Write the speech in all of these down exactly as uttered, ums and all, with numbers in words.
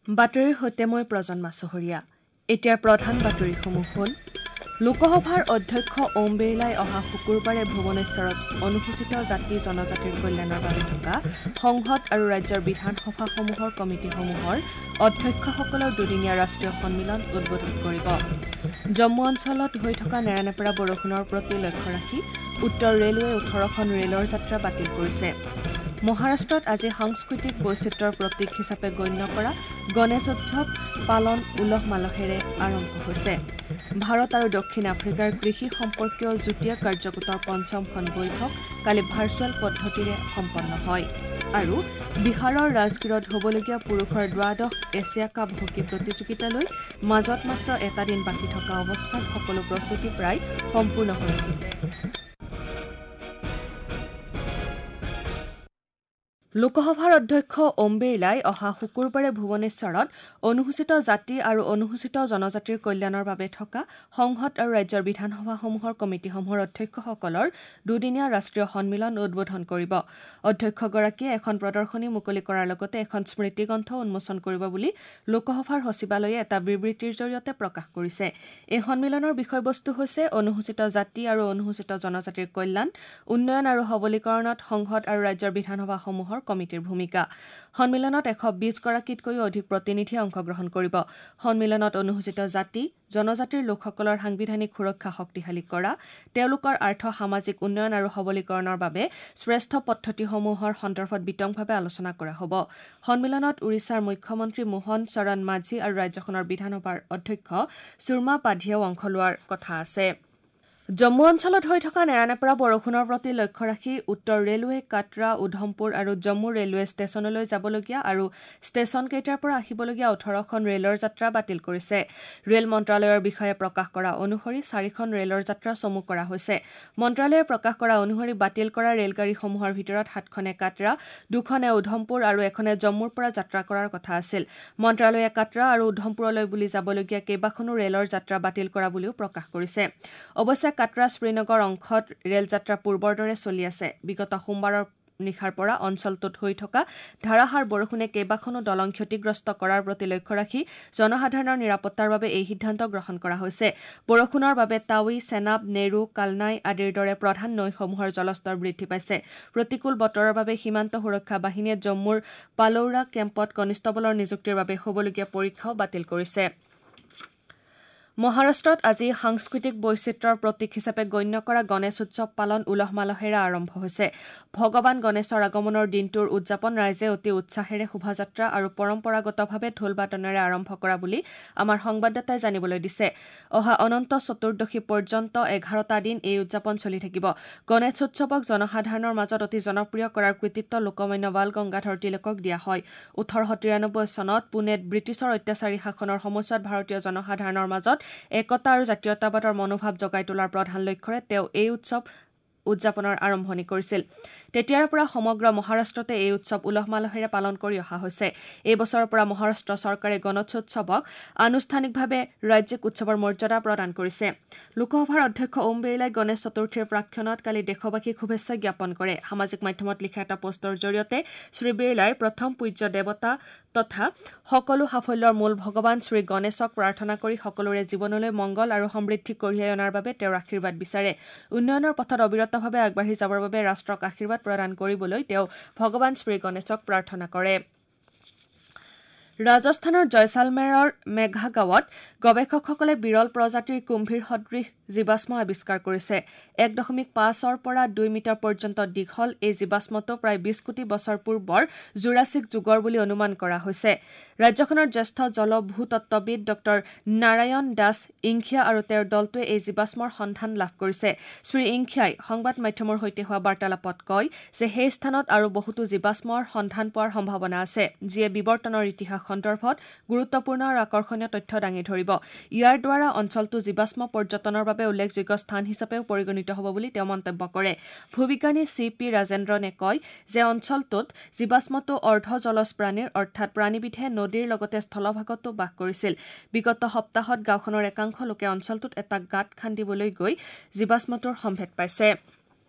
বাতৰিৰ সৈতে মই প্ৰজন্মা চহৰীয়া। এতিয়াৰ প্ৰধান বাতৰিসমূহ হ'ল: লোকসভাৰ অধ্যক্ষ ওম বিৰলাই অহা শুকুৰবাৰে ভুৱনেশ্বৰত অনুসূচিত জাতি জনজাতিৰ কল্যাণৰ বাবে থকা সংসদ আৰু ৰাজ্যৰ বিধানসভাসমূহৰ কমিটিসমূহৰ অধ্যক্ষসকলৰ দুদিনীয়া ৰাষ্ট্ৰীয় সন্মিলন উদ্বোধন কৰিব। জম্মু অঞ্চলত হৈ থকা নেৰানেপেৰা বৰষুণৰ প্ৰতি লক্ষ্য ৰাখি উত্তৰ ৰেলৱে ওঠৰখন ৰেলৰ যাত্ৰা বাতিল কৰিছে। মহাৰাষ্ট্ৰত আজি সাংস্কৃতিক বৈচিত্ৰ্যৰ প্ৰতীক হিচাপে গণ্য কৰা গণেশ উৎসৱ পালন উলহ মালহেৰে আৰম্ভ হৈছে। ভাৰত আৰু দক্ষিণ আফ্ৰিকাৰ কৃষি সম্পৰ্কীয় যুটীয়া কাৰ্যগোটৰ পঞ্চমখন বৈঠক কালি ভাৰ্চুৱেল পদ্ধতিৰে সম্পন্ন হয়। আৰু বিহাৰৰ ৰাজগীৰত হ'বলগীয়া পুৰুষৰ দ্বাদশ এছিয়া কাপ হকী প্ৰতিযোগিতালৈ মাজত মাত্ৰ এটা দিন বাকী থকা অৱস্থাত সকলো প্ৰস্তুতি প্ৰায় সম্পূৰ্ণ হৈ উঠিছে। লোকসভাৰ অধ্যক্ষ ওম বিৰলাই অহা শুকুৰবাৰে ভুৱনেশ্বৰত অনুসূচিত জাতি আৰু অনুসূচিত জনজাতিৰ কল্যাণৰ বাবে থকা সংসদ আৰু ৰাজ্যৰ বিধানসভাসমূহৰ কমিটিসমূহৰ অধ্যক্ষসকলৰ দুদিনীয়া ৰাষ্ট্ৰীয় সন্মিলন উদ্বোধন কৰিব। অধ্যক্ষগৰাকীয়ে এখন প্ৰদৰ্শনী মুকলি কৰাৰ লগতে এখন স্মৃতিগ্ৰন্থ উন্মোচন কৰিব বুলি লোকসভাৰ সচিবালয়ে এটা বিবৃতিৰ জৰিয়তে প্ৰকাশ কৰিছে। এই সন্মিলনৰ বিষয়বস্তু হৈছে অনুসূচিত জাতি আৰু অনুসূচিত জনজাতিৰ কল্যাণ, উন্নয়ন আৰু সবলীকৰণত সংসদ আৰু ৰাজ্যৰ বিধানসভাসমূহৰ কমিটিৰ ভূমিকা। সন্মিলনত এশ বিশগৰাকীতকৈও অধিক প্ৰতিনিধিয়ে অংশগ্ৰহণ কৰিব। সন্মিলনত অনুসূচিত জাতি জনজাতিৰ লোকসকলৰ সাংবিধানিক সুৰক্ষা শক্তিশালী কৰা, তেওঁলোকৰ আৰ্থ সামাজিক উন্নয়ন আৰু সবলীকৰণৰ বাবে শ্ৰেষ্ঠ পদ্ধতিসমূহৰ সন্দৰ্ভত বিতংভাৱে আলোচনা কৰা হ'ব। সন্মিলনত ওড়িশাৰ মুখ্যমন্ত্ৰী মোহন চৰণ মাঝি আৰু ৰাজ্যখনৰ বিধানসভাৰ অধ্যক্ষ সুৰমা পাধিয়েও অংশ লোৱাৰ কথা আছে। জম্মু অঞ্চলত হৈ থকা নেৰানেপেৰা বৰষুণৰ প্ৰতি লক্ষ্য ৰাখি উত্তৰ ৰেলৱে কাটৰা, উধমপুৰ আৰু জম্মু ৰেলৱে ষ্টেচনলৈ যাবলগীয়া আৰু ষ্টেচনকেইটাৰ পৰা আহিবলগীয়া ওঠৰখন ৰেলৰ যাত্ৰা বাতিল কৰিছে। ৰেল মন্ত্ৰালয়ৰ বিষয়ে প্ৰকাশ কৰা অনুসৰি চাৰিখন ৰেলৰ যাত্ৰা চমু কৰা হৈছে। মন্ত্ৰালয়ে প্ৰকাশ কৰা অনুসৰি বাতিল কৰা ৰেলগাড়ীসমূহৰ ভিতৰত সাতখনে কাটৰা, দুখনে উধমপুৰ আৰু এখনে জম্মুৰ পৰা যাত্ৰা কৰাৰ কথা আছিল। মন্ত্ৰালয়ে কাটৰা আৰু উধমপুৰলৈ বুলি যাবলগীয়া কেইবাখনো ৰেলৰ যাত্ৰা বাতিল কৰা বুলিও প্ৰকাশ কৰিছে। অৱশ্যে কাটৰা শ্ৰীনগৰ অংশত ৰেল যাত্ৰা পূৰ্বৰ দৰে চলি আছে। বিগত সোমবাৰৰ নিশাৰ পৰা অঞ্চলটোত হৈ থকা ধাৰাসাৰ বৰষুণে কেইবাখনো দলং ক্ষতিগ্ৰস্ত কৰাৰ প্ৰতি লক্ষ্য ৰাখি জনসাধাৰণৰ নিৰাপত্তাৰ বাবে এই সিদ্ধান্ত গ্ৰহণ কৰা হৈছে। বৰষুণৰ বাবে টাউই, চেনাব, নেৰু, কালনাই আদিৰ দৰে প্ৰধান নৈসমূহৰ জলস্তৰ বৃদ্ধি পাইছে। প্ৰতিকূল বতৰৰ বাবে সীমান্ত সুৰক্ষা বাহিনীয়ে জম্মুৰ পালৌৰা কেম্পত কনিষ্টবলৰ নিযুক্তিৰ বাবে হ'বলগীয়া পৰীক্ষাও বাতিল কৰিছে। মহাৰাষ্ট্ৰত আজি সাংস্কৃতিক বৈচিত্ৰ্যৰ প্ৰতীক হিচাপে গণ্য কৰা গণেশ উৎসৱ পালন উলহ মালহেৰে আৰম্ভ হৈছে। ভগৱান গণেশৰ আগমনৰ দিনটোৰ উদযাপন ৰাইজে অতি উৎসাহেৰে শোভাযাত্ৰা আৰু পৰম্পৰাগতভাৱে ঢোল বাদনেৰে আৰম্ভ কৰা বুলি আমাৰ সংবাদদাতাই জানিবলৈ দিছে। অহা অনন্ত চতুৰ্দশী পৰ্যন্ত এঘাৰটা দিন এই উদযাপন চলি থাকিব। গণেশ উৎসৱক জনসাধাৰণৰ মাজত অতি জনপ্ৰিয় কৰাৰ কৃতিত্ব লোকমান্য বাল গংগাধৰ তিলকক দিয়া হয়। ওঠৰশ তিৰানব্বৈ চনত পুনেত ব্ৰিটিছৰ অত্যাচাৰী শাসনৰ সময়ছোৱাত ভাৰতীয় জনসাধাৰণৰ মাজত একতা আৰু জাতীয়তাবাদৰ মনোভাৱ জগাই তোলাৰ প্ৰধান লক্ষ্যৰে তেওঁ এই উৎসৱ উদযাপনৰ আৰম্ভণি কৰিছিল। তেতিয়াৰ পৰা সমগ্ৰ মহাৰাষ্ট্ৰতে এই উৎসৱ উলহ মালহেৰে পালন কৰি অহা হৈছে। এই বছৰৰ পৰা মহাৰাষ্ট্ৰ চৰকাৰে গণেশোৎসৱক আনুষ্ঠানিকভাৱে ৰাজ্যিক উৎসৱৰ মৰ্যাদা প্ৰদান কৰিছে। লোকসভাৰ অধ্যক্ষ ওম বিৰলাই গণেশ চতুৰ্থীৰ প্ৰাকক্ষণত কালি দেশবাসীক শুভেচ্ছা জ্ঞাপন কৰে। সামাজিক মাধ্যমত লিখা এটা পোষ্টৰ জৰিয়তে শ্ৰী বিৰলাই প্ৰথম পূজ্য দেৱতা তথা সকলো সাফল্যৰ মূল ভগৱান শ্ৰী গণেশক প্ৰাৰ্থনা কৰি সকলোৰে জীৱনলৈ মংগল আৰু সমৃদ্ধি কঢ়িয়াই অনাৰ বাবে তেওঁৰ আশীৰ্বাদ বিচাৰে। উন্নয়নৰ পথত অবিৰতভাৱে আগবাঢ়ি যাবৰ বাবে ৰাষ্ট্ৰক আশীৰ্বাদ প্ৰদান কৰিবলৈ তেওঁ ভগৱান শ্ৰী গণেশক প্ৰাৰ্থনা কৰে। ৰাজস্থানৰ জয়ছালমেৰৰ মেঘাগাঁৱত গৱেষকসকলে বিৰল প্ৰজাতিৰ কুম্ভীৰ সদৃশ জীৱাশ্ম আৱিষ্কাৰ কৰিছে। এক দশমিক পাঁচৰ পৰা দুই মিটাৰ পৰ্যন্ত দীঘল এই জীৱাশ্মটো প্ৰায় বিশ কোটি বছৰ পূৰ্বৰ জুৰাছিক যুগৰ বুলি অনুমান কৰা হৈছে। ৰাজ্যখনৰ জ্যেষ্ঠ জলভূতত্ত্ববিদ ডক্টৰ নাৰায়ণ দাস ইংখিয়া আৰু তেওঁৰ দলটোৱে এই জীৱাশ্মৰ সন্ধান লাভ কৰিছে। শ্ৰী ইংখিয়াই সংবাদ মাধ্যমৰ সৈতে হোৱা বাৰ্তালাপত কয় যে সেই স্থানত আৰু বহুতো জীৱাশ্মৰ সন্ধান পোৱাৰ সম্ভাৱনা আছে, যিয়ে বিৱৰ্তনৰ ইতিহাস সন্দৰ্ভত গুৰুত্বপূৰ্ণ আৰু আকৰ্ষণীয় তথ্য দাঙি ধৰিব। ইয়াৰ দ্বাৰা অঞ্চলটো জীৱাশ্ম পৰ্যটনৰ বাবে উল্লেখযোগ্য স্থান হিচাপেও পৰিগণিত হ'ব বুলি তেওঁ মন্তব্য কৰে। ভূবিজ্ঞানী চি পি ৰাজেন্দ্ৰনে কয় যে অঞ্চলটোত জীৱাশ্মটো অৰ্ধ জলজ প্ৰাণীৰ অৰ্থাৎ প্ৰাণীবিধে নদীৰ লগতে স্থলভাগতো বাস কৰিছিল। বিগত সপ্তাহত গাঁওখনৰ একাংশ লোকে অঞ্চলটোত এটা গাঁত খান্দিবলৈ গৈ জীৱাশ্মটোৰ সম্ভেদ পাইছে।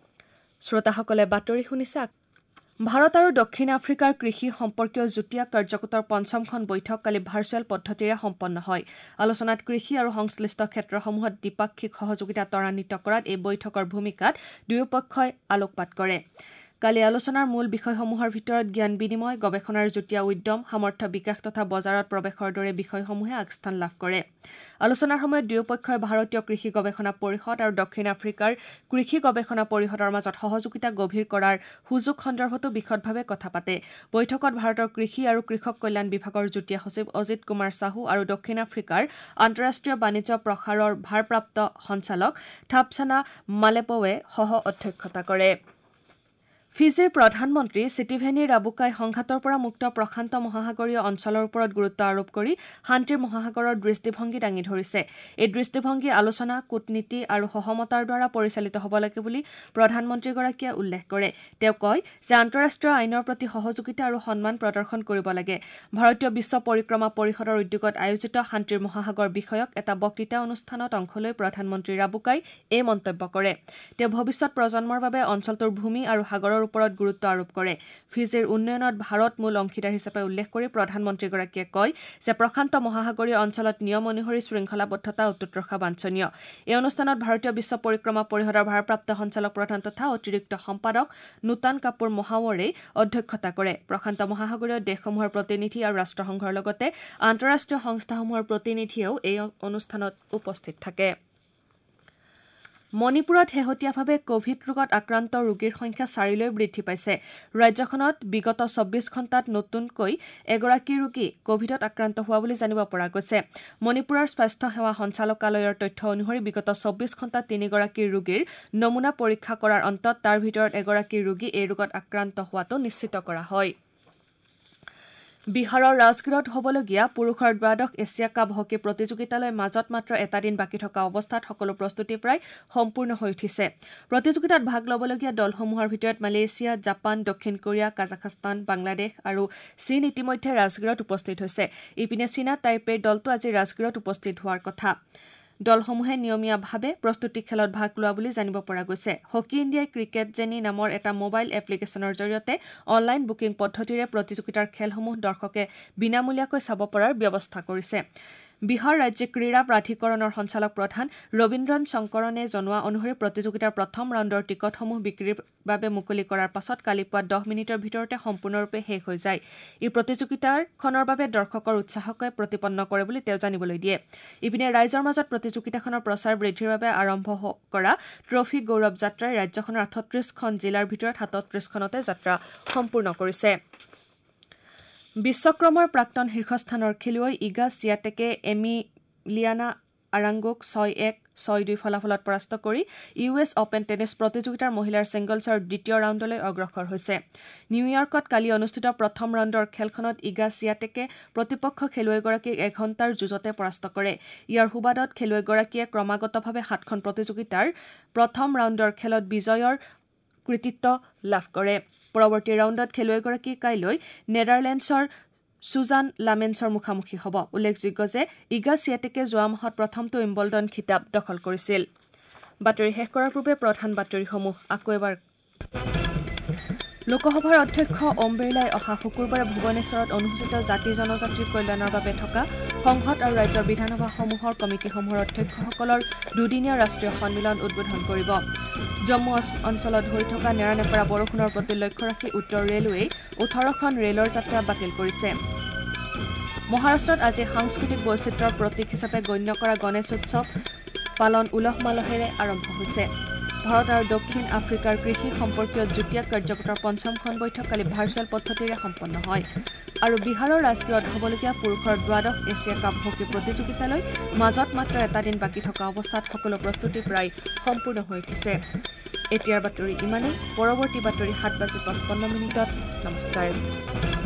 শ্ৰোতাসকলে বাতৰি শুনিছে। ভাৰত আৰু দক্ষিণ আফ্ৰিকাৰ কৃষি সম্পৰ্কীয় যুটীয়া কাৰ্যকোটৰ পঞ্চমখন বৈঠক কালি ভাৰ্চুৱেল পদ্ধতিৰে সম্পন্ন হয়। আলোচনাত কৃষি আৰু সংশ্লিষ্ট ক্ষেত্ৰসমূহত দ্বিপাক্ষিক সহযোগিতা ত্বৰান্বিত কৰাত এই বৈঠকৰ ভূমিকাত দুয়োপক্ষই আলোকপাত কৰে। কালি আলোচনাৰ মূল বিষয়সমূহৰ ভিতৰত জ্ঞান বিনিময়, গৱেষণাৰ যুটীয়া উদ্যম, সামৰ্থ্য বিকাশ তথা বজাৰত প্ৰৱেশৰ দৰে বিষয়সমূহে আগস্থান লাভ কৰে। আলোচনাৰ সময়ত দুয়োপক্ষই ভাৰতীয় কৃষি গৱেষণা পৰিষদ আৰু দক্ষিণ আফ্ৰিকাৰ কৃষি গৱেষণা পৰিষদৰ মাজত সহযোগিতা গভীৰ কৰাৰ সুযোগ সন্দৰ্ভতো বিশদভাৱে কথা পাতে। বৈঠকত ভাৰতৰ কৃষি আৰু কৃষক কল্যাণ বিভাগৰ যুটীয়া সচিব অজিত কুমাৰ চাহু আৰু দক্ষিণ আফ্ৰিকাৰ আন্তঃৰাষ্ট্ৰীয় বাণিজ্য প্ৰসাৰৰ ভাৰপ্ৰাপ্ত সঞ্চালক থাপছানা মালেপৱে সহ অধ্যক্ষতা কৰে। ফিজিৰ প্ৰধানমন্ত্ৰী চিটিভেনি ৰাবুকাই সংঘাতৰ পৰা মুক্ত প্ৰশান্ত মহাসাগৰীয় অঞ্চলৰ ওপৰত গুৰুত্ব আৰোপ কৰি শান্তিৰ মহাসাগৰৰ দৃষ্টিভংগী দাঙি ধৰিছে। এই দৃষ্টিভংগী আলোচনা, কূটনীতি আৰু সহমতাৰ দ্বাৰা পৰিচালিত হ'ব লাগে বুলি প্ৰধানমন্ত্ৰীগৰাকীয়ে উল্লেখ কৰে। তেওঁ কয় যে আন্তঃৰাষ্ট্ৰীয় আইনৰ প্ৰতি সহযোগিতা আৰু সন্মান প্ৰদৰ্শন কৰিব লাগে। ভাৰতীয় বিশ্ব পৰিক্ৰমা পৰিষদৰ উদ্যোগত আয়োজিত শান্তিৰ মহাসাগৰ বিষয়ক এটা বক্তৃতা অনুষ্ঠানত অংশ লৈ প্ৰধানমন্ত্ৰী ৰাবুকাই এই মন্তব্য কৰে। তেওঁ ভৱিষ্যত প্ৰজন্মৰ বাবে অঞ্চলটোৰ ভূমি আৰু সাগৰৰ ওপৰত গুৰুত্ব আৰোপ কৰে। ফিজিৰ উন্নয়নত ভাৰত মূল অংশীদাৰ হিচাপে উল্লেখ কৰি প্ৰধানমন্ত্ৰীগৰাকীয়ে কয় যে প্ৰশান্ত মহাসাগৰীয় অঞ্চলত নিয়ম অনুসৰি শৃংখলাবদ্ধতা অটুট ৰখা বাঞ্ছনীয়। এই অনুষ্ঠানত ভাৰতীয় বিশ্ব পৰিক্ৰমা পৰিষদৰ ভাৰপ্ৰাপ্ত সঞ্চালক প্ৰধান তথা অতিৰিক্ত সম্পাদক নূতন কাপুৰ মহাৱৰে অধ্যক্ষতা কৰে। প্ৰশান্ত মহাসাগৰীয় দেশসমূহৰ প্ৰতিনিধি আৰু ৰাষ্ট্ৰসংঘৰ লগতে আন্তঃৰাষ্ট্ৰীয় সংস্থাসমূহৰ প্ৰতিনিধিয়েও এই অনুষ্ঠানত উপস্থিত থাকে। মণিপুৰত শেহতীয়াভাৱে কভিড ৰোগত আক্ৰান্ত ৰোগীৰ সংখ্যা চাৰিলৈ বৃদ্ধি পাইছে। ৰাজ্যখনত বিগত চৌব্বিছ ঘণ্টাত নতুনকৈ এগৰাকী ৰোগী কভিডত আক্ৰান্ত হোৱা বুলি জানিব পৰা গৈছে। মণিপুৰৰ স্বাস্থ্য সেৱা সঞ্চালকালয়ৰ তথ্য অনুসৰি বিগত চৌব্বিছ ঘণ্টাত তিনিগৰাকী ৰোগীৰ নমুনা পৰীক্ষা কৰাৰ অন্তত তাৰ ভিতৰত এগৰাকী ৰোগী এই ৰোগত আক্ৰান্ত হোৱাটো নিশ্চিত কৰা হয়। বিহাৰৰ ৰাজগীৰত হ'বলগীয়া পুৰুষৰ দ্বাদশ এছিয়া কাপ হকী প্ৰতিযোগিতালৈ মাজত মাত্ৰ এটা দিন বাকী থকা অৱস্থাত সকলো প্ৰস্তুতি প্ৰায় সম্পূৰ্ণ হৈ উঠিছে। প্ৰতিযোগিতাত ভাগ ল'বলগীয়া দলসমূহৰ ভিতৰত মালয়েছিয়া, জাপান, দক্ষিণ কোৰিয়া, কাজাখস্তান, বাংলাদেশ আৰু চীন ইতিমধ্যে ৰাজগীৰত উপস্থিত হৈছে। ইপিনে চীনা টাইপেৰ দলটো আজি ৰাজগীৰত উপস্থিত হোৱাৰ কথা। দলসমূহে নিয়মীয়াভাৱে প্ৰস্তুতি খেলত ভাগ লোৱা বুলি জানিব পৰা গৈছে। হকী ইণ্ডিয়াই ক্ৰিকেট জেনী নামৰ এটা মোবাইল এপ্লিকেশ্যনৰ জৰিয়তে অনলাইন বুকিং পদ্ধতিৰে প্ৰতিযোগিতাৰ খেলসমূহ দৰ্শকে বিনামূলীয়াকৈ চাব পৰাৰ ব্যৱস্থা কৰিছে। বিহাৰ ৰাজ্যিক ক্ৰীড়া প্ৰাধিকৰণৰ সঞ্চালক প্ৰধান ৰবীন্দ্ৰন শংকৰণে জনোৱা অনুসৰি প্ৰতিযোগিতাৰ প্ৰথম ৰাউণ্ডৰ টিকটসমূহ বিক্ৰীৰ বাবে মুকলি কৰাৰ পাছত কালি পুৱা দহ মিনিটৰ ভিতৰতে সম্পূৰ্ণৰূপে শেষ হৈ যায়। ই প্ৰতিযোগিতাখনৰ বাবে দৰ্শকৰ উৎসাহকে প্ৰতিপন্ন কৰে বুলি তেওঁ জানিবলৈ দিয়ে। ইপিনে ৰাইজৰ মাজত প্ৰতিযোগিতাখনৰ প্ৰচাৰ বৃদ্ধিৰ বাবে আৰম্ভ কৰা ট্ৰফী গৌৰৱ যাত্ৰাই ৰাজ্যখনৰ আঠত্ৰিশখন জিলাৰ ভিতৰত সাতত্ৰিশখনতে যাত্ৰা সম্পূৰ্ণ কৰিছে। বিশ্বক্ৰমৰ প্ৰাক্তন শীৰ্ষস্থানৰ খেলুৱৈ ইগা চিয়াটেকে এমিলিয়ানা আৰাংগোক ছয় এক ছয় দুই ফলাফলত পৰাস্ত কৰি ইউ এছ অপেন টেনিছ প্ৰতিযোগিতাৰ মহিলাৰ ছিংগলছৰ দ্বিতীয় ৰাউণ্ডলৈ অগ্ৰসৰ হৈছে। নিউয়ৰ্কত কালি অনুষ্ঠিত প্ৰথম ৰাউণ্ডৰ খেলখনত ইগা চিয়াটেকে প্ৰতিপক্ষ খেলুৱৈগৰাকীক এঘণ্টাৰ যুঁজতে পৰাস্ত কৰে। ইয়াৰ সুবাদত খেলুৱৈগৰাকীয়ে ক্ৰমাগতভাৱে সাতখন প্ৰতিযোগিতাৰ প্ৰথম ৰাউণ্ডৰ খেলত বিজয়ৰ কৃতিত্ব লাভ কৰে। পৰৱৰ্তী ৰাউণ্ডত খেলুৱৈগৰাকী কাইলৈ নেডাৰলেণ্ডছৰ সুজান লামেন্সৰ মুখামুখি হ'ব। উল্লেখযোগ্য যে ইগা চিয়াটেকে যোৱা মাহত প্ৰথমটো উইম্বলডন খিতাপ দখল কৰিছিল। বাতৰি শেষ কৰাৰ পূৰ্বে প্ৰধান বাতৰিসমূহ আকৌ এবাৰ। লোকসভাৰ অধ্যক্ষ ওম বিৰলাই অহা শুকুৰবাৰে ভুৱনেশ্বৰত অনুসূচিত জাতি জনজাতিৰ কল্যাণৰ বাবে থকা সংসদ আৰু ৰাজ্যৰ বিধানসভাসমূহৰ কমিটিসমূহৰ অধ্যক্ষসকলৰ দুদিনীয়া ৰাষ্ট্ৰীয় সন্মিলন উদ্বোধন কৰিব। জম্মু অঞ্চলত হৈ থকা নেৰানেপেৰা বৰষুণৰ প্ৰতি লক্ষ্য ৰাখি উত্তৰ ৰেলৱেই ওঠৰখন ৰেলৰ যাত্ৰা বাতিল কৰিছে। মহাৰাষ্ট্ৰত আজি সাংস্কৃতিক বৈচিত্ৰ্যৰ প্ৰতীক হিচাপে গণ্য কৰা গণেশ উৎসৱ পালন উলহ মালহেৰে আৰম্ভ হৈছে। ভাৰত আৰু দক্ষিণ আফ্ৰিকাৰ কৃষি সম্পৰ্কীয় যুটীয়া কাৰ্যকোটৰ পঞ্চমখন বৈঠক কালি ভাৰ্চুৱেল পদ্ধতিৰে সম্পন্ন হয়। আৰু বিহাৰৰ ৰাজগীৰত হ'বলগীয়া পুৰুষৰ দ্বাদশ এছিয়া কাপ হকী প্ৰতিযোগিতালৈ মাজত মাত্ৰ এটা দিন বাকী থকা অৱস্থাত সকলো প্ৰস্তুতি প্ৰায় সম্পূৰ্ণ হৈ উঠিছে। এতিয়াৰ বাতৰি ইমানেই। পৰৱৰ্তী বাতৰি সাত বাজি পঁচপন্ন মিনিটত। নমস্কাৰ।